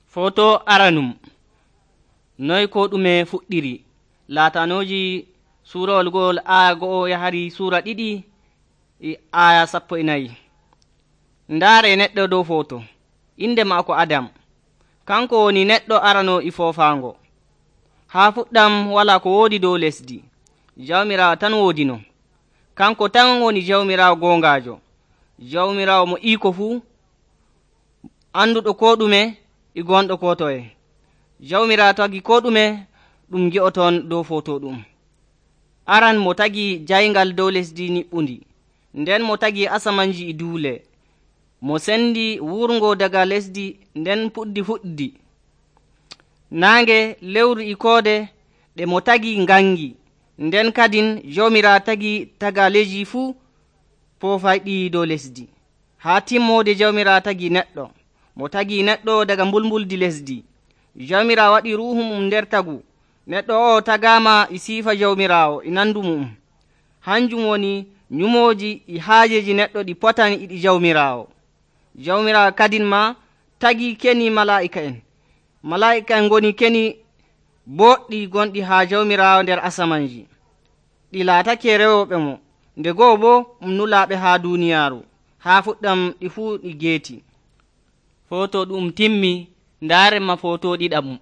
Foto aranum noy ko ɗume fuɗɗiri. Laatanoji suurawol gol aya 1 yahari suura 2 aya 14. Ndaare neɗɗo dow foto. Inde maako Adam. Kanko woni neɗɗo arano e foofaango. Haa fuɗɗam walaa ko woodi dow lesdi. Jawmiraawo tan woodino. Kanko tan woni jawmiraawo goongaajo. Jawmiraawo mo iko fuu, anduɗo ko ɗume e gonɗo ko toye. Jawmiraawo tagi ko ɗume ɗum gi'oton dow foto ɗum. Aran mo tagi jayngal dow lesdi niɓɓundi, nden mo tagi asamanji e duule, mo sendi wurngo daga lesdi nden fuɗdi. Naange, lewru e koode ɗe mo tagi ngangi, nden kadin Jawmiraawo tagi tagaaleji fuu foofayɗi dow lesdi. Haa timmode Jawmiraawo tagi neɗɗo. Mo tagi neɗɗo daga mbulmbuldi lesdi. Jawmiraawo waɗi ruuhu mum nder tagu. Neɗɗo o tagaama e siifa Jawmiraawo e nandu mum. Hanjum woni nyumooji e haajeji neɗɗo ɗi potani e ɗi Jawmiraawo. Jawmiraawo kadin ma tagi keni malaa'ika'en. Malaa'ika'en ngoni keni boɗɗi gonɗi haa Jawmiraawo nder asamanji. Ɗi laatake rewooɓe mo, nde go'o boo nulaaɓe haa duuniyaaru. Haa fuɗɗam ɗi fuu ɗi geeti. Foto ɗum timmi, ndaaren ma foto ɗiɗaɓum.